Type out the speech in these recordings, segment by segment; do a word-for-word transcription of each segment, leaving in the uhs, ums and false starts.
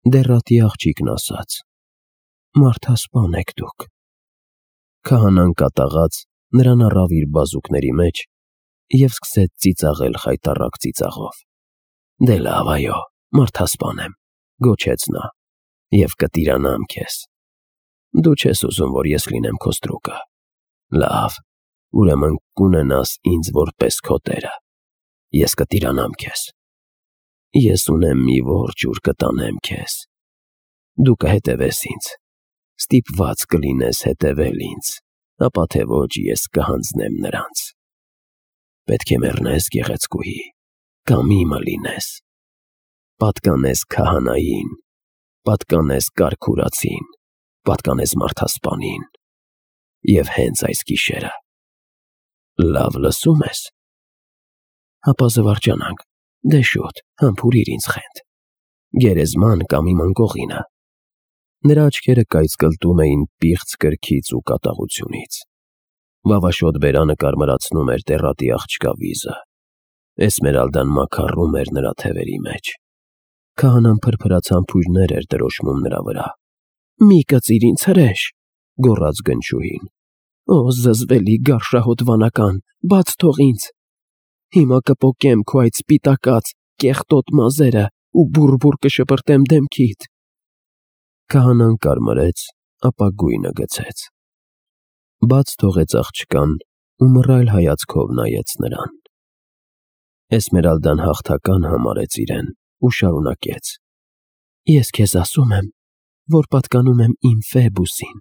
Դեռատի աղջիկն ասաց. «Մարդասպան եք դուք»։ Քահանան կատաղած նրան առավ իր բազուկների մեջ և սկսեց ծիծաղել խայտառակ ծիծաղով։ «Դե լավ, այո, մարդասպան եմ», գոչեց նա, «և կտիրանամ քեզ։ Դու չես ուզում, որ ես լինեմ քո ստրուկը։ Լավ, ուրեմն կունենաս ինձ որպես քո տերը։ Ես կտիրանամ քեզ։ Ես ունեմ մի որջ, ուր կտանեմ քեզ։ Դու կհետևես ինձ, ստիպված կլինես հետևել ինձ, ապա թե ոչ ես կհանձնեմ նրանց։ Պետք է մեռնես գեղեցկուհի, կամ իմը լինես։ Պատկանես քահանային, պատկանես կարքուրացին, պատկանես մարդասպանին, և հենց այս գիշերը։ Լավ լսո՞ւմ ես։ Հապա զվարճանանք, դե շուտ, համբուրիր ինձ խենթ։ Գերեզման կամ իմ անկողինը։ Նրա աչքերը կայծկլտում էին պիղծ կրքից ու կատաղությունից։ Վավաշոտ բերանը կարմրացնում էր դեռատի աղջկա վիզը։ Էսմերալդան մաքարում էր նրա թևերի մեջ։ Քահանան փրփրած համբույրներ էր դրոշմում նրա վրա։ «Մի կծիր ինձ, հրեշ», գոռաց գնչուհին։ «Օ, զզվելի գարշահոտ վանական, բաց թող ինձ։ Հիմա կպոկեմ քո այդ սպիտակած, կեղտոտ մազերը ու բուռ֊բուռ կշպրտեմ դեմքիդ»։ Քահանան կարմրեց, ապա գույնը գցեց։ Բաց թողեց աղջկան ու մռայլ հայացքով նայեց նրան։ Էսմերալդան հաղթական համարեց իրեն ու շարունակեց. «Ես քեզ ասում եմ, որ պատկանում եմ իմ Ֆեբուսին,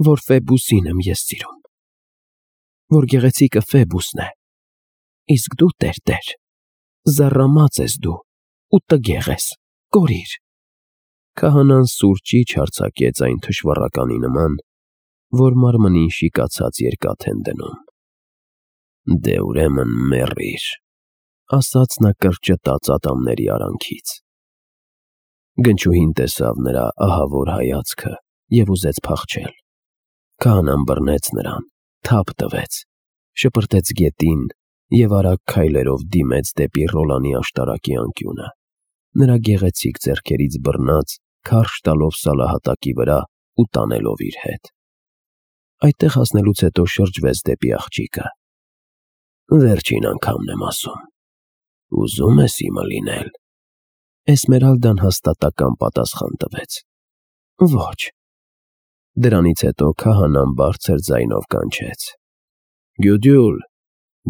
որ Ֆեբուսին եմ ես սիրում, որ գեղեցիկը Ֆեբուսն է, իսկ դու, տեր, զառամած ես դու ու տգեղ ես, կորիր»։ Քահանան սուրճիչ արձակեց այն թշվառականի նման, որ մարմնին շիկացած երկաթ են դնում։ «Դե ուրեմն մեռիր», ասաց նա կրճտած ատամների արանքից։ Գնչուհին տեսավ նրա ահավոր հայացքը և ուզեց փախչել։ Քահանան բռնեց նրան, թափ տվեց, շպրտեց գետին և արագ քայլերով դիմեց դեպի Ռոլանի աշտարակի անկյունը, նրա գեղեցիկ ձեռքերից բռնած, քարշ տալով սալահատակի վրա ու տանելով իր հետ։ Այդտեղ հասնելուց հետո շրջվեց դեպի աղջիկը։ «Վերջին անգամն եմ ասում, ուզում ես իմը լինել»։ Էսմերալդան հաստատակամ պատասխան տվեց. «Ոչ»։ Դրանից հետո քահանան բարձր ձայնով կանչեց. «Գյուդյուլ,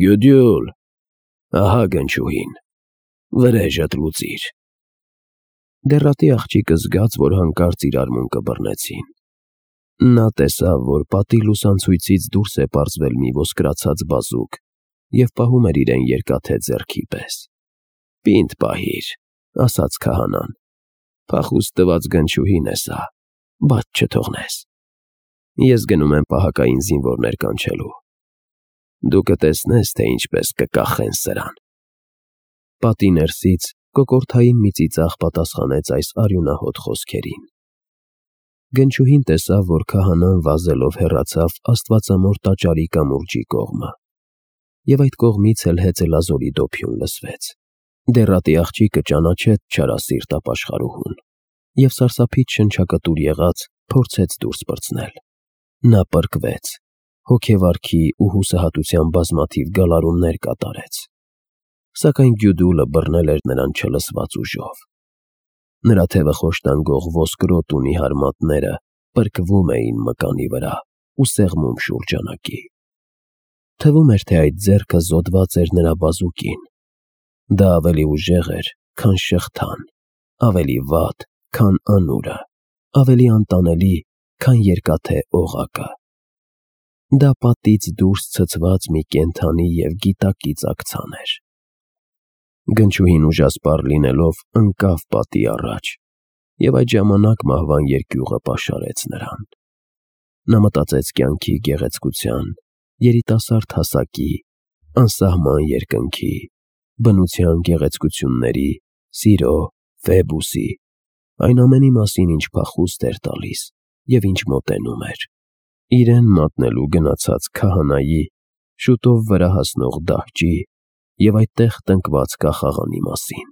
Գյուդյուլ, ահա գնչուհին, վրեժդ լուծիր»։ Դեռատի աղջիկը զգաց, որ հանկարծ իր արմունկը բռնեցին։ Նա տեսավ, որ պատի լուսանցույցից դուրս է պարզվել մի ոսկրացած բազուկ և պահում էր իրեն երկաթե ձեռքի պես։ «Պինդ պահիր», ասաց քահանան, «փախուստ տված գնչուհին է սա, բաց չթողնես։ Ես գնում եմ պահակային զինվորներ կանչելու։ Դու կտեսնես, թե ինչպես կկախեն սրան»։ Պատի ներսից կոկորդային մի ծիծաղ պատասխանեց այս արյունահոտ խոսքերին։ Գնչուհին տեսավ, որ քահանան վազելով հեռացավ աստվածամոր տաճարի կամուրջի կողմը, և այդ կողմից էլ հեծելազորի դոփյուն լսվեց։ Դեռատի աղջիկը ճանաչեց չարասիրտ ապաշխարուհուն և սարսափից շնչակտուր եղած փորձեց դուրս պրծնել։ Նա պրկվեց, հոգեվարքի ու հուսահատության բազմաթիվ գալարումներ կատարեց, սակայն Գյուդուլը բռնել էր նրան չլսված ուժով։ Նրա թևը խոշտանգող ոսկրոտ ու նիհար մատները պրկվում էին մկանի վրա ու սեղմում շուրջանակի։ Թվում էր, թե այդ ձեռքը զոդված էր նրա բազուկին։ Դա ավելի ուժեղ էր, քան շղթան, ավելի վատ, քան անուրը, ավելի անտանելի, քան երկաթե օղակը։ Դա պատից դուրս ցցված մի կենդանի և գիտակից աքցան էր։ Գնչուհին ուժասպառ լինելով ընկավ պատի առաջ, և այդ ժամանակ մահվան երկյուղը պաշարեց նրան։ Նա մտածեց կյանքի գեղեցկության, երիտասարդ հասակի, անսահման երկնքի, բնության գեղեցկությունների, սիրո, Ֆեբուսի, այն ամենի մասին, ինչ փախուստ էր տալիս և ինչ մոտենում էր, իրեն մատնելու գնացած քահանայի, շուտով վրա հասնող դահճի և այդտեղ տնկված կախաղանի մասին։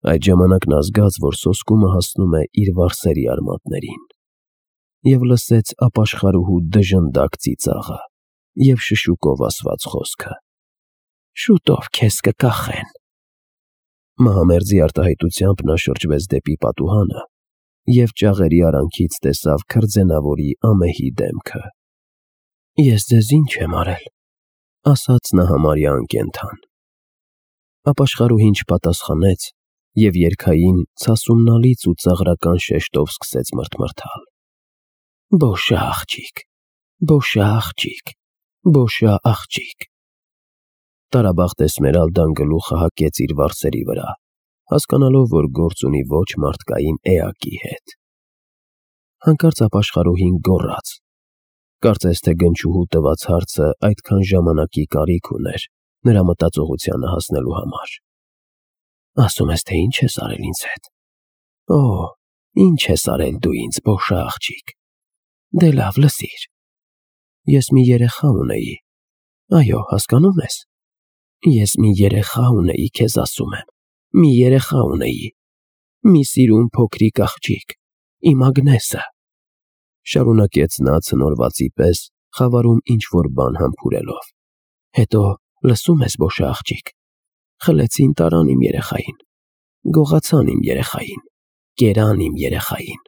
Այդ ժամանակ նա զգաց, որ սոսկումը հասնում է իր վարսերի արմատներին, և լսեց ապաշխարուհու դժնդակ ծիծաղը և շշուկով ասված խոսքը. «Շուտով քեզ կկախեն»։ Մահամերձի արտահայտությամբ նա շրջվեց դեպի պատուհանը և ճաղերի արանքից տեսավ քրձենավորի ամեհի դեմքը։ «Ես ձեզ ինչ եմ արել», ասաց նա համարյա անկենդան։ Ապաշխարուհին չպատասխանեց և երգային, ցասումնալից ու ծաղրական շեշտով սկսեց մրթմրթալ. «Բոշա աղջիկ, բոշա աղջիկ, բոշա աղջիկ»։ Տարաբախտ Էսմերալդան գլուխը հակեց իր վարսերի վրա, հասկանալով, որ գործ ունի ոչ մարդկային էակի հետ։ Հանկարծ ապաշխարուհին գոռաց. կարծես թե գնչուհու տված հարցը այդքան ժամանակի կարիք ուներ նրա մտածողությանը հասնելու համար։ «Ասում ես, թե ինչ ես արել ինձ հետ։ Օ, ինչ ես արել դու ինձ, բոշա աղջիկ։ Դե լավ, լսիր։ Ես մի երեխա ունեի, այո, հասկանո՞ւմ ես։ Ես մի երեխա ունեի, քեզ ասում եմ, մի երեխա ունեի, մի սիրուն փոքրիկ աղջիկ, իմ Ագնեսը», շարունակեց նա ցնորվածի պես, խավարում ինչ-որ բան համբուրելով։ «Հետո, լսում ես, բոշա աղջիկ, խլեցին, տարան իմ երեխային, գողացան իմ երեխային, կերան իմ երեխային։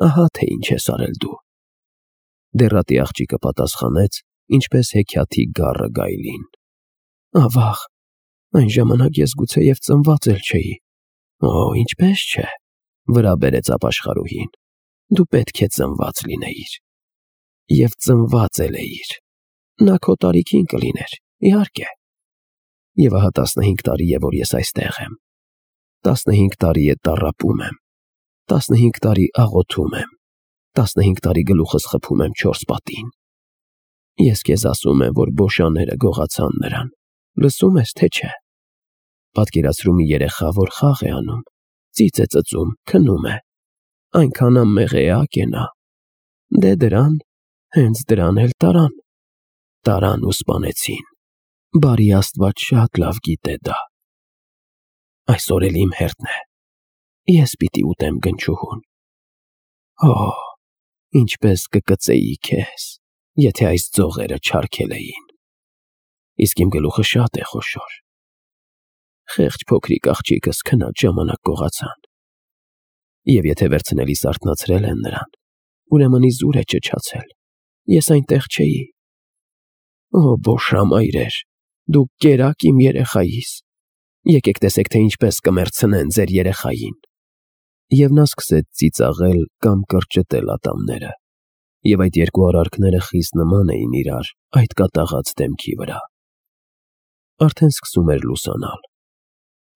Ահա թե ինչ ես արել դու»։ Դեռատի աղջիկը պատասխանեց, ինչպես հեքիաթի գառը գայլին. «Ավաղ, այն ժամանակ ես գուցեև ծնված էլ չէի»։ «Օ, ինչպես չէ», վրա բերեց ապաշխարուհին, «դու պետք է ծնված լինեիր»։ «Եվ ծնված էլ էիր։ Նա քո տարիքին կլիներ, իհարկե։ Եվ ահա տասնհինգ տարի է, որ ես այստեղ եմ։ Տասնհինգ տարի է տառապում եմ, տասնհինգ տարի աղոթում եմ, տասնհինգ տարի գլուխս խփում եմ չորս պատին։ Ես քեզ ասում եմ, որ բոշաները գողացան նրան, լսում ես, թե չէ։ Պատկերացրու մի երեխա, որ խաղ է անում, ծիծ է ծծում, քնում է, այնքան անմեղ էակ է նա։ Դե դրան, հենց դրան էլ տարան։ Տարան ու սպանեցին։ Բարի Աստված շատ լավ գիտե դա։ Այսօր էլ իմ հերթն է։ Ես պիտի ուտեմ գնչուհուն։ Օ, ինչպես կկծեի քեզ, եթե այս ձողերը չարգել էին։ Իսկ իմ գլուխը շատ է խոշոր։ Խեղճ փոքրիկ աղջիկս քնած ժամանակ գողացան։ Եվ եթե վերցնելիս արթնացրել են նրան, ուրեմն իզուր է ճչացել։ Ես այնտեղ չէի։ Օ, բոշա մայրեր, դուք կերաք իմ երեխայիս։ Եկեք տեսեք, թե ինչպես կմեռցնեն ձեր երեխային։ Եվ նա սկսեց ծիծաղել կամ կրճտել ատամները, և այդ երկու արարքները խիստ նման էին իրար այդ կատաղած դեմքի վրա։ Արդեն սկսում էր լուսանալ։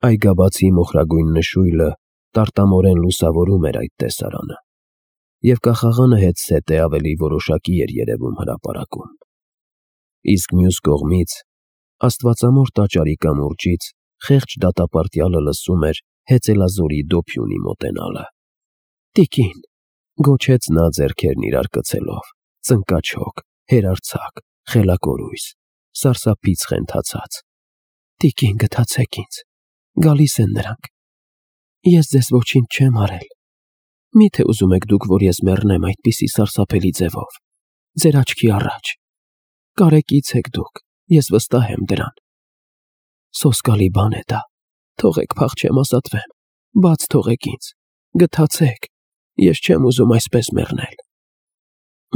Այգաբացի մոխրագույն նշույլը տարտամորեն լուսավորում էր այդ տեսարանը, և կախաղանը հետզհետե ավելի որոշակի էր երևում հրապարակում։ Իսկ մյուս կողմից, աստվածամոր տաճարի կամուրջից, խեղճ դատապարտյալը լսում էր հեծելազորի դոփյունի մոտենալը։ «Տիկին», գոչեց նա ձեռքերն իրար կցելով, ծնկաչոք, հերարձակ, խելակորույս, սարսափից խենթացած։ «Տիկին, գթացեք ինձ, գալիս են նրանք։ Ես ձեզ ոչինչ չեմ արել։ Մի՞թե ուզում եք դուք, որ ես մեռնեմ այդպիսի սարսափելի ձևով, ձեր աչքի առաջ։ Կարեկից եք դուք, ես վստահ եմ դրան։ Սոսկալի բան է դա, թողեք փախչեմ, ազատվեմ, բաց թողեք ինձ, գթացեք, ես չեմ ուզում այսպես մեռնել»։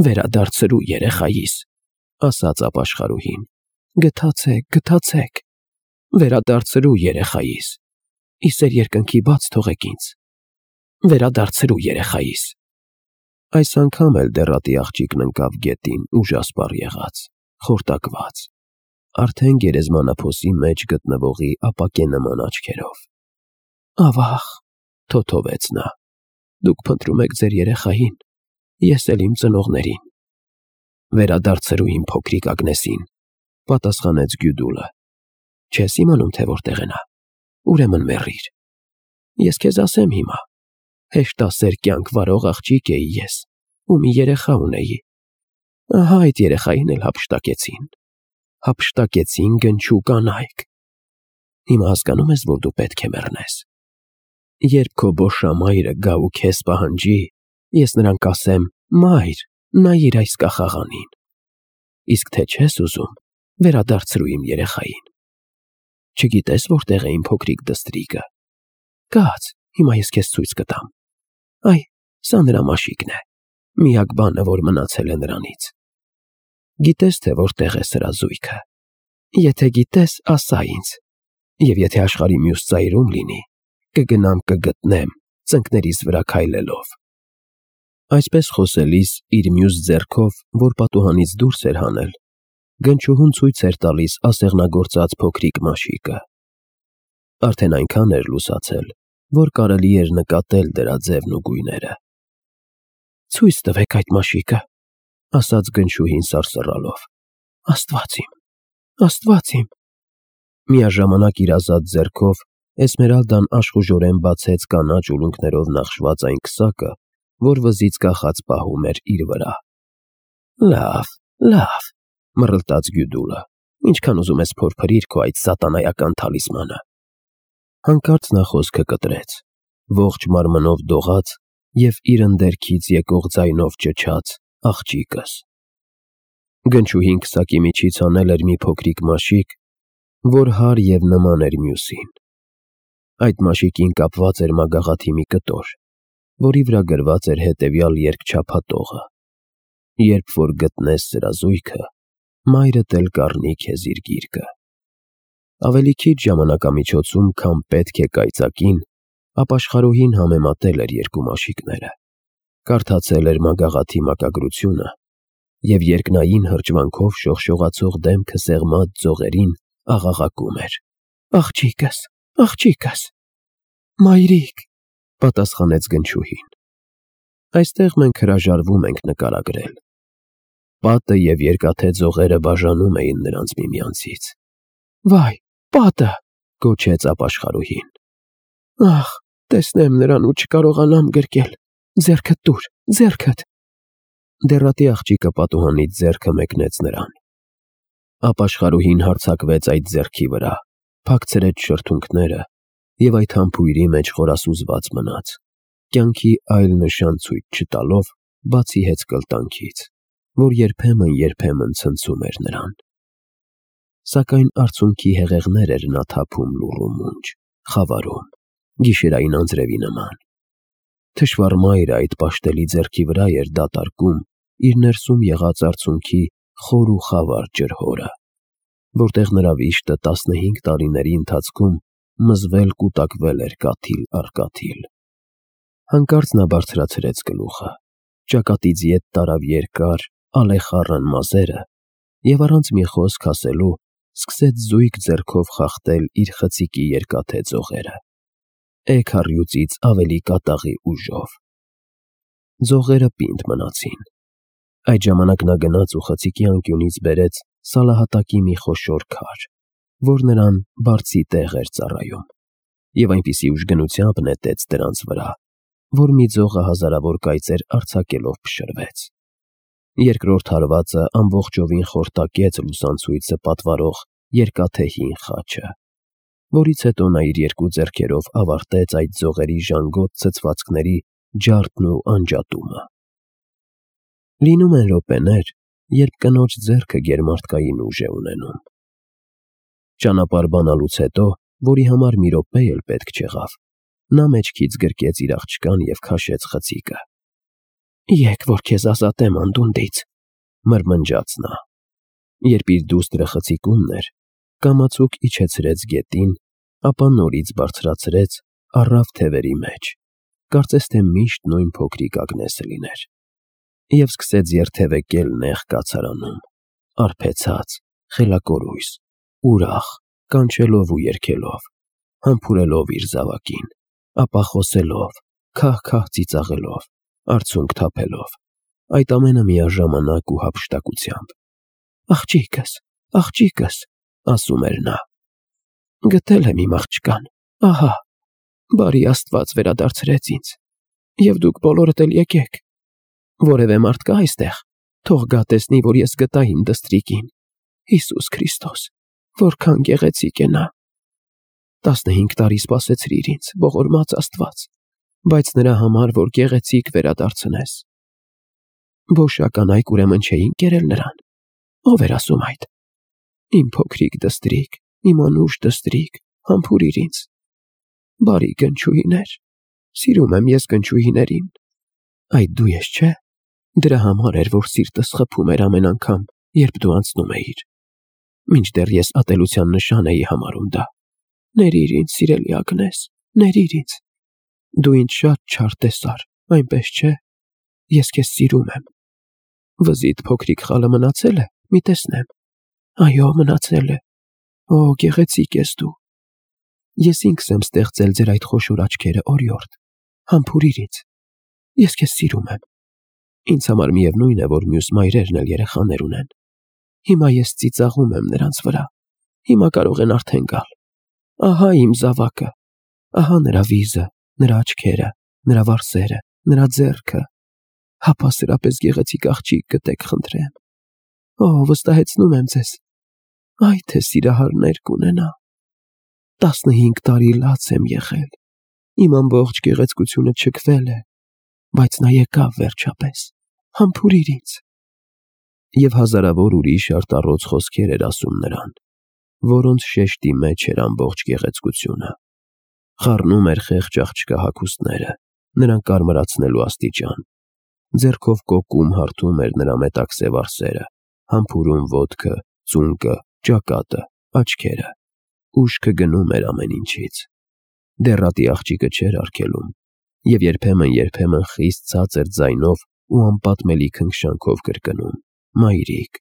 «Վերադարձրու երեխայիս», ասաց ապաշխարուհին, «գթացեք, գթացեք, վերադարձրու երեխայիս, իսեր երկնքի բաց թողեք ինձ, վերադարձրու երեխայիս»։ Այս անգամ էլ դեռատի աղջիկն ընկավ գետին ուժասպառ եղած, խորտակված, արդեն գերեզմանափոսի մեջ գտնվողի ապակե նման աչքերով։ «Ավաղ», թոթովեց նա, «դուք փնտրում եք ձեր երեխային, ես էլ իմ ծնողներին»։ «Վերադարձրու իմ փոքրիկ Ագնեսին», պատասխանեց Գյուդուլը։ «Չես իմանում, թե որտեղ է նա, ուրեմն մեռիր։ Ես քեզ ասեմ հիմա, հեշտասեր կյանք վարող աղջիկ էի ես, ու մի երեխա ունեի։ Ահա այդ երեխային էլ հափշտակեցին, հափշտակեցին գնչու կանայք։ Հիմա հասկանո՞ւմ ես, որ դու պետք է մեռնես։ Երբ քո բոշամայրը գա ու քեզ պահանջի, ես նրան կասեմ. «Մայր, նայիր այս կախաղանին»։ Իսկ թե չես ուզում, վերադարձրու իմ երեխային։ Չգիտես որտեղ է իմ փոքրիկ դստրիկը։ Կաց, հիմա ես քեզ ցույց կտամ։ Այ, սա նրա մաշիկն է, միակ բանը, որ մնացել է նրանից։ Գիտես, թե որտեղ է սրա զույգը։ Եթե գիտես, ասա ինձ, և եթե աշխարհի մյուս ծայրում լինի, կգնամ կգտնեմ, ծնկներիս վրա քայլելով։ Այսպես խոսելիս իր մյուս ձեռքով, որ պատուհանից դուրս էր հանել, գնչուհուն ցույց էր տալիս ասեղնագործած փոքրիկ մաշիկը։ Արդեն այնքան էր լուսացել, որ կարելի էր նկատել դրա ձևն ու գույները։ Ցույց տվեք այդ մաշիկը, ասաց գնչուհին սարսռալով։ Աստված իմ, Աստված իմ։ Միաժամանակ իր ազատ ձեռքով Էսմերալդան աշխուժորեն բացեց կանաչ ուլունքներով նախշված այն քսակը, որ վզից կախած պահում էր իր վրա։ Լավ, լավ, մռլտաց Գյուդուլը, ինչքան ուզում ես փորփրիր քո այդ սատանայական թալիսմանը։ Հանկարծ նա խոսքը կտրեց, ողջ մարմնով դողաց և իր ընդերքից եկող ձայնով ճչաց. աղջիկս։ Գնչուհին քսակի միջից հանել էր մի փոքրիկ մաշիկ, որ հարր և նման էր մյուսին։ Այդ մաշիկին կապված էր մագաղաթի մի կտոր, որի վրա գրված էր հետևյալ երկչափատողը. երբ որ գտնես սրա զույգը, մայրդ էլ կառնի քեզ իր գիրկը։ Ավելի քիչ ժամանակամիջոցում, քան պետք է կայծակին, ապաշխարուհին համեմատել էր երկու մաշիկները, կարդացել էր մագաղաթի մակագրությունը և երկնային հրճվանքով շողշողացող դեմքը սեղմած ձողերին աղաղակում էր. Աղջիկս, աղջիկս։ Մայրիկ, պատասխանեց գնչուհին։ Այստեղ մենք հրաժարվում ենք նկարագրել։ Պատը և երկաթե ձողերը բաժանում էին նրանց միմյանցից։ Վայ, պատը, գոչեց ապաշխարուհին։ Ախ, տեսնեմ նրան ու չկարողանամ գրկել, ձեռքդ տուր, ձեռքդ։ Դեռատի աղջիկը պատուհանից ձեռքը մեկնեց նրան։ Ապաշխարուհին հարձակվեց այդ ձեռքի վրա, փակցրեց շրթունքները և այդ համբույրի մեջ խորասուզված մնաց, կյանքի այլ նշան ցույց չտալով, բացի հեծ կլտանքից, որ երբեմն-երբեմն ցնցում էր նրան։ Սակայն արցունքի հեղեղներ էր նա թափում լուռ ու մունջ, խավարում, գիշերային անձրևի նման։ Թշվառ մայրը այդ պաշտելի ձեռքի վրա էր դատարկում իր ներսում եղած արցունքի խոր ու խավար ջրհորը, որտեղ նրա վիշտը տասնհինգ տարիների ընթացքում մզվել-կուտակվել էր կաթիլ առ կաթիլ։ Հանկարծ նա բարձրացրեց գլուխը, ճակատից ետ տարավ երկար, ալեխառն մազերը և առանց մի խոսք ասելու սկսեց զույգ ձեռքով խախտել իր խցիկի երկաթե ձողերը, էգ առյուծից ավելի կատաղի ուժով։ Ձողերը պինդ մնացին։ Այդ ժամանակ նա գնաց ու խցիկի անկյունից բերեց սալահատակի մի խոշոր քար, որ նրան բարձի տեղ էր ծառայում, և այնպիսի ուժգնությամբ նետեց դրանց վրա, որ մի ձողը հազարավոր կայծեր արձակելով փշրվեց։ Երկրորդ հարվածը ամբողջովին խորտակեց լուսանցույցը պատվարող երկաթե հին խաչը, որից հետո նա իր երկու ձեռքերով ավարտեց այդ ձողերի ժանգոտ ցցվածքների ջարդն ու անջատումը։ Լինում են րոպեներ, երբ կնոջ ձեռքը գերմարդկային ուժ է ունենում։ Ճանապարհ բանալուց հետո, որի համար մի րոպե էլ պետք չեղավ, նա մեջքից գրկեց իր աղջկան և քաշեց խցիկը։ Եկ որ քեզ ազատեմ անդունդից, մրմնջաց նա։ Երբ իր դուստրը խցիկումն էր, կամացուկ իջեցրեց գետին, ապա նորից բարձրացրեց, առավ թևերի մեջ, կարծես թե միշտ նույն փոքրիկ Ագնեսը լիներ, և սկսեց երթևեկել նեղ կացարանում, արբեցած, խելակորույս, ուրախ, կանչելով ու երգելով, համբուրելով իր զավակին, ապա խոսելով, քահ-քահ ծիծաղելով, արցունք թափելով, այդ ամենը միաժամանակ ու հափշտակությամբ։ Աղջիկս, աղջիկս, ասում էր նա, գտել եմ իմ աղջկան, ահա, բարի Աստված վերադարձրեց ինձ, և դուք բոլորդ էլ եկեք, որևէ մարդ կա այստեղ, թող գա տեսնի, որ ես գտա իմ դստրիկին, Հիսուս Քրիստոս, որքան գեղեցիկ է նա։ Տասնհինգ տարի սպասեցրիր ինձ, ողորմած Աստված, բայց նրա համար, որ գեղեցիկ վերադարձնես։ Բոշական այք ուրեմն չէին կերել նրան։ Ո՞վ էր ասում այդ։ Իմ փոքրիկ դստրիկ, իմ անուշ դստրիկ, համբուրիր ինձ։ Բարի գնչուհիներ, սիրում եմ ես գնչուհիներին։ Այդ դու ես, չէ՞։ Դրա համար էր, որ սիրտս խփում էր ամեն անգամ, երբ դու անցնում էիր։ Մինչդեռ ես ատելության նշան էի համարում դա։ Ներիր ինձ, սիրելի Ագնես, ներիր ինձ։ Դու ինձ շատ չար տեսար, այնպես չէ։ Ես քեզ սիրում եմ։ Վզիդ փոքրիկ խալը մնացել է, մի տեսնեմ։ Այո, մնացել է։ Օ, գեղեցիկ ես դու։ Ես ինքս եմ ստեղծել ձեր այդ խոշոր աչքերը, օրիորդ։ Համբուրիր ինձ։ Ես քեզ սիրում եմ։ Ինձ համար միևնույն է, որ մյուս մայրերն էլ երեխաներ ունեն։ Հիմա ես ծիծաղում եմ նրանց վրա։ Հիմա կարող են արդեն գալ։ Ահա իմ զավակը, ահա նրա վիզը, նրա աչքերը, նրա վարսերը, նրա ձեռքը։ Հապա սրապես գեղեցիկ աղջիկ գտեք, խնդրեմ։ Օ, վստահեցնում եմ ձեզ, այ թե սիրահարներ կունենա։ Տասնհինգ տարի լաց եմ եղել, իմ ամբողջ գեղեցկությունը չքվել է, բայց նա եկավ վերջապես, համբուրիր ինձ։ Եվ հազարավոր ուրիշ արտառոց խոսքեր էր ասում նրան, որոնց շեշտի մեջ էր ամբողջ գեղեցկությունը։ Խառնում էր խեղճ աղջկա հագուստները, նրան կարմրացնելու աստիճան։ Ձեռքով կոկում հարթում էր նրա մետաքսե վարսերը, համբուրում ոտքը, ծունկը, ճակատը, աչքերը։ Ուշքը գնում էր ամեն ինչից։ Դեռատի աղջիկը չէր արգելում, և երբեմն-երբեմն խիստ ցածր ձայնով ու անպատմելի քնքշանքով կրկնում. «Մայրիկ»։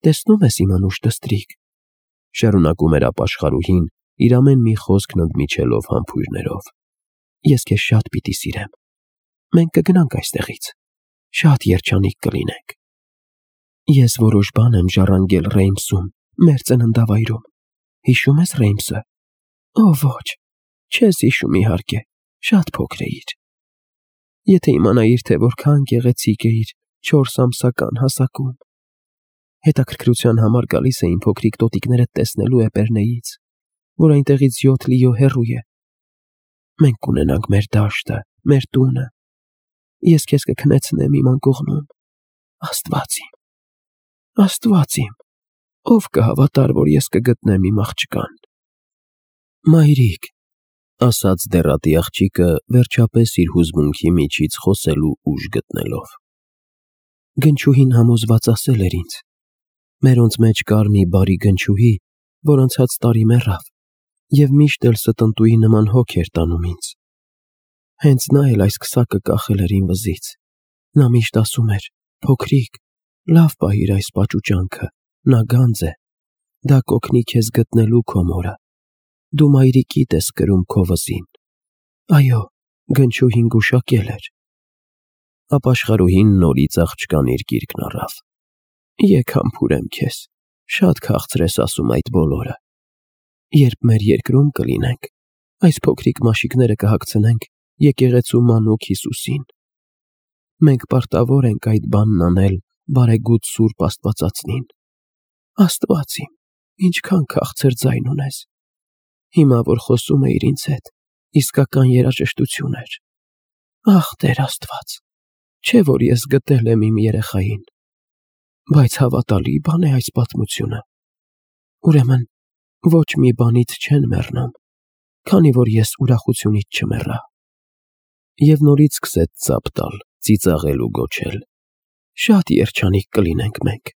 Տեսնում ես իմ անուշ դստրիկ, շարունակում էր ապաշխարուհին, իր ամեն մի խոսքն ընդմիջելով համբույրներով։ Ես քեզ շատ պիտի սիրեմ։ Մենք կգնանք այստեղից, շատ երջանիկ կլինենք։ Ես որոշ բան եմ ժառանգել Ռեյմսում, մեր ծննդավայրում։ Հիշում ես Ռեյմսը։ Օ, ոչ, չես հիշում իհարկե, շատ փոքր էիր։ Եթե իմանայիր, թե որքան գեղեցիկ էիր չորս ամսական հասակում։ Հետաքրքրության համար գալիս էին փոքրիկ տոտիկներդ տեսնելու Էպեռնեից, որ այնտեղից յոթ լիո հեռու է։ Մենք կունենանք մեր դաշտը, մեր տունը։ Ես քեզ կքնեցնեմ իմ անկողնում։ Աստված իմ, Աստված իմ, ով կհավատար, որ ես կգտնեմ իմ աղջկան։ Մայրիկ, ասաց դեռատի աղջիկը, վերջապես իր հուզմունքի միջից խոսելու ուժ գտնելով։ Գնչուհին համոզված ասել էր ինձ. մերոնց մեջ կար մի բարի գնչուհի, որ անցած տարի մեռավ, և միշտ էլ ստնտուի նման հոգ էր տանում ինձ։ Հենց նա էլ այս քսակը կախել էր իմ վզից։ Նա միշտ ասում էր. փոքրիկ, լավ պահիր այս պաճուճանքը, նա գանձ է, դա կօգնի քեզ գտնելու քո մորը։ Դու մայրիկիդ ես կրում քո վզին։ Այո, գնչուհին գուշակել էր։ Ապաշխարուհին նորից աղջկան իր գիրկն առավ։ Եկ համբուրեմ քեզ, շատ քաղցր ես ասում այդ բոլորը։ Երբ մեր երկրում կլինենք, այս փոքրիկ մաշիկները կհագցնենք եկեղեցու մանուկ Հիսուսին։ Մենք պարտավոր ենք այդ բանն անել բարեգութ Սուրբ Աստվածածնին։ Աստված իմ, ինչքան քաղցր ձայն ունես։ Հիմա, որ խոսում էիր ինձ հետ, իսկական երաժշտություն էր։ Ախ, Տեր Աստված, չէ՞ որ ես գտել եմ իմ երեխային։ Բայց հավատալի բան է այս պատմությունը։ Ուրեմն, ոչ մի բանից չեն մեռնում, քանի որ ես ուրախությունից չմեռա։ Եվ նորից սկսեց ծափ տալ, ծիծաղել ու գոչել. Շատ երջանիկ կլինենք մենք։